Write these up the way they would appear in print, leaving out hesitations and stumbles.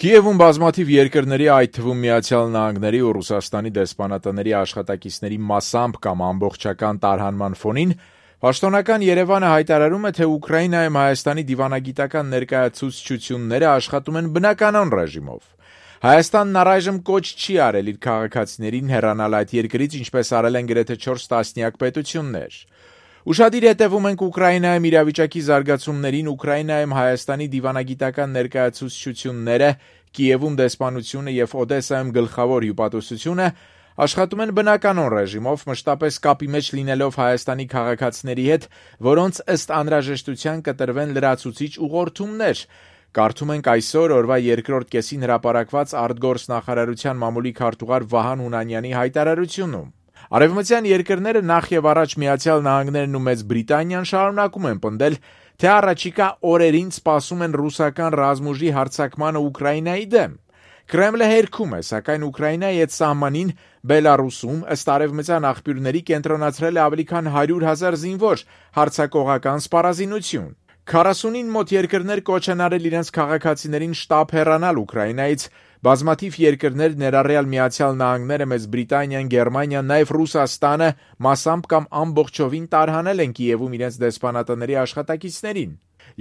Կիևում բազմաթիվ երկրների, այդ թվում Միացյալ Նահանգների ու Ռուսաստանի դեսպանատների աշխատակիցների մասամբ կամ ամբողջական տարհանման ֆոնին պաշտոնական Երևանը հայտարարում է, թե Ուկրաինայում Հայաստանի դիվանագիտական ներկայացուցչությունները աշխատում են բնականon ռեժիմով։ Հայաստանն առայժմ կոչ չի արել իր քաղաքացիներին հեռանալ այդ երկրից, ինչպես արել են գրեթե 4 տասնյակ պետություններ։ Ուշադիր հետևում ենք Ուկրաինայում իրավիճակի զարգացումներին, Ուկրաինայում Հայաստանի դիվանագիտական ներկայացուցչությունները, Կիևում դեսպանությունը եւ Օդեսայում գլխավոր հյուպատոսությունը աշխատում են բնականon ռեժիմով, մշտապես կապի մեջ լինելով Հայաստանի քաղաքացիների հետ, որոնց ըստ անհրաժեշտության կտրվեն լրացուցիչ ուղղորդումներ։ Կարդում ենք այսօր օրվա երկրորդ կեսին հրապարակված արտգործնախարարության մամուլի քարտուղար Վահան Հունանյանի հայտարարությունում։ Արևմտյան երկրները նախ եւ առաջ Միացյալ Նահանգներն ու Մեծ Բրիտանիան շարունակում են պնդել, թե առաջիկա օրերին սպասում են ռուսական ռազմուժի հարձակմանը Ուկրաինայի դեմ։ Կրեմլը հերքում է, սակայն Ուկրաինայի այդ սահմանին Բելարուսում ըստ արևմտյան աղբյուրների կենտրոնացրել է ավելի քան 100,000 զինվոր, հարձակողական սպառազինություն։ 40-ին մոտ երկրներ կոչ են արել իրենց քաղաքացիներին շտապ հեռանալ Ուկրաինայից։ Բազմաթիվ երկրներ, ներառյալ Միացյալ Նահանգները, Մեծ Բրիտանիան, Գերմանիան, նաև Ռուսաստանը մասամբ կամ ամբողջովին տարհանել են Կիևում իրենց դեսպանատների աշխատակիցներին։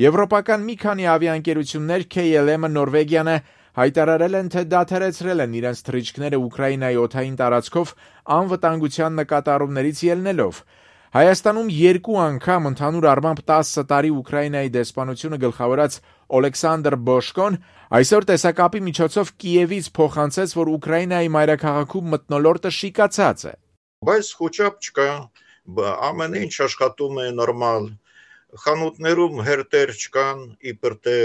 Եվրոպական մի քանի ավիաընկերություններ KLM-ը, Նորվեգիանը հայտարարել են, թե դադարեցրել են իրենց թռիչքները Ուկրաինայի օդային տարածքով անվտանգության նկատառումներից ելնելով։ Հայաստանում 2 անգամ ընդհանուր առմամբ 10 տարի Ուկրաինայի դեսպանությունը գլխավորած Օլեքսանդր Բոշկոն այսօր տեսակապի միջոցով Կիևից փոխանցեց, որ Ուկրաինայի մայրաքաղաքում մթնոլորտը շիկացած է։ Բայց խոչապ չկա, ամեն ինչ աշխատում է նորմալ, խանութներում հերթեր չկան, իբր թե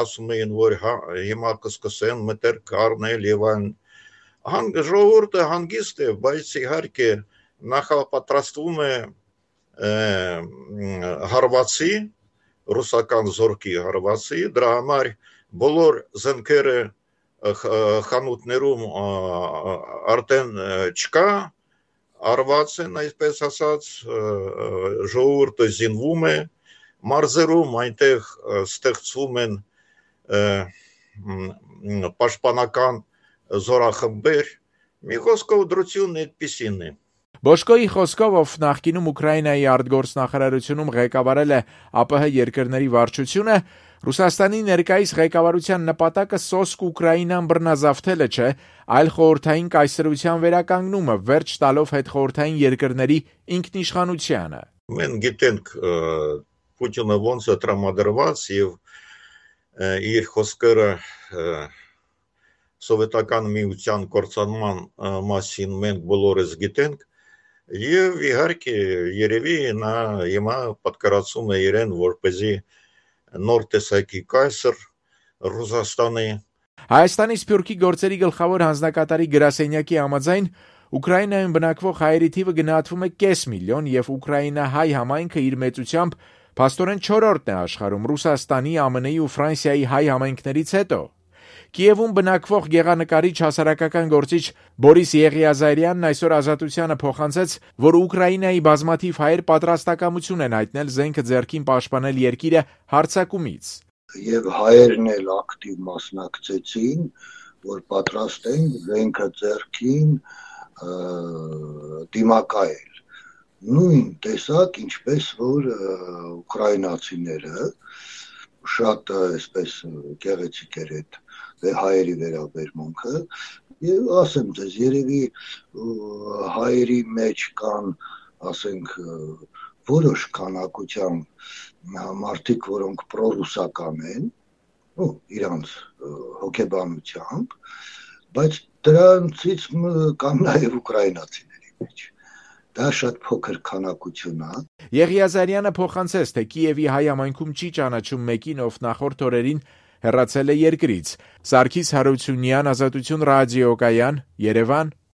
ասում էին, որ հիմա կսկսեն մտերք առնել եւ այն ժողովուրդը հանգիստ է, բայց իհարկե նախապատրաստվում է հարվածի, ռուսական զորքի հարվածի, դրա համար բոլոր զենքերը խանութներում արդեն չկա, արված են, այսպես ասած, ժողովուրդը զինվում է, մարզերում այնտեղ ստեղծվում են պաշտպանական զորախմբեր, մի խոսքով դրությունն այդպիսին է։ Բոշկոյի խոսքով, ով նախկինում Ուկրաինայի արտգործնախարարությունում ղեկավարել է ԱՊՀ երկրների վարչությունը, Ռուսաստանի ներկայիս ղեկավարության նպատակը սոսկ Ուկրաինան բռնազավթելը չէ, այլ խորհրդային կայսրության վերականգնումը, վերջ տալով հետխորհրդային երկրների ինքնիշխանությանը։ Մենք գիտենք Պուտինը ոնց է տրամադրված եւ իր խոսքերը սովետական միության կործանման մասին մենք բոլորս գիտենք եւ իհարկե երևի նա հիմա պատկերացում է իրեն որպեսզի նոր տեսակի կայսր Ռուսաստանի։ Հայաստանի Սփյուռքի գործերի գլխավոր հանձնակատարի գրասենյակի համաձայն Ուկրաինայում բնակվող հայերի թիվը գնահատվում է 500,000 եւ ուկրաինահայ համայնքը իր մեծությամբ փաստորեն 4-րդն է աշխարհում Ռուսաստանի, ԱՄՆ-ի ու Ֆրանսիայի հայ համայնքներից հետո։ Կիևում բնակվող գեղանկարիչ հասարակական գործիչ Բորիս Եղիազարյանն այսօր Ազատությանը փոխանցեց, որ Ուկրաինայի բազմաթիվ հայեր պատրաստակամություն են հայտնել զենքը ձեռքին պաշտպանել երկիրը հարձակումից։ Եվ հայերն էլ ակտիվ մասնակցեցին, որ պատրաստ են զենքը ձեռքին դիմակայել։ Նույն տեսակ, ինչպես որ ուկրաինացիները շատ այսպես գեղեցիկ էր այդ հայերի վերաբերմունքը եւ ասեմ ձեզ երևի հայերի մեջ կան ասենք որոշ քանակությամբ մարդիկ, որոնք պրոռուսական են, իրանց հոգեբանությամբ, բայց դրանցից կան նաեւ ուկրաինացիների մեջ։ Դա շատ փոքր քանակություն է։ Եղիազարյանը փոխանցեց, թե Կիևի հայ համայնքում չի ճանաչում մեկին, ով նախորդ օրերին հեռացել է երկրից։ Սարգիս Հարությունյան, Ազատություն ռադիոկայան, Երևան։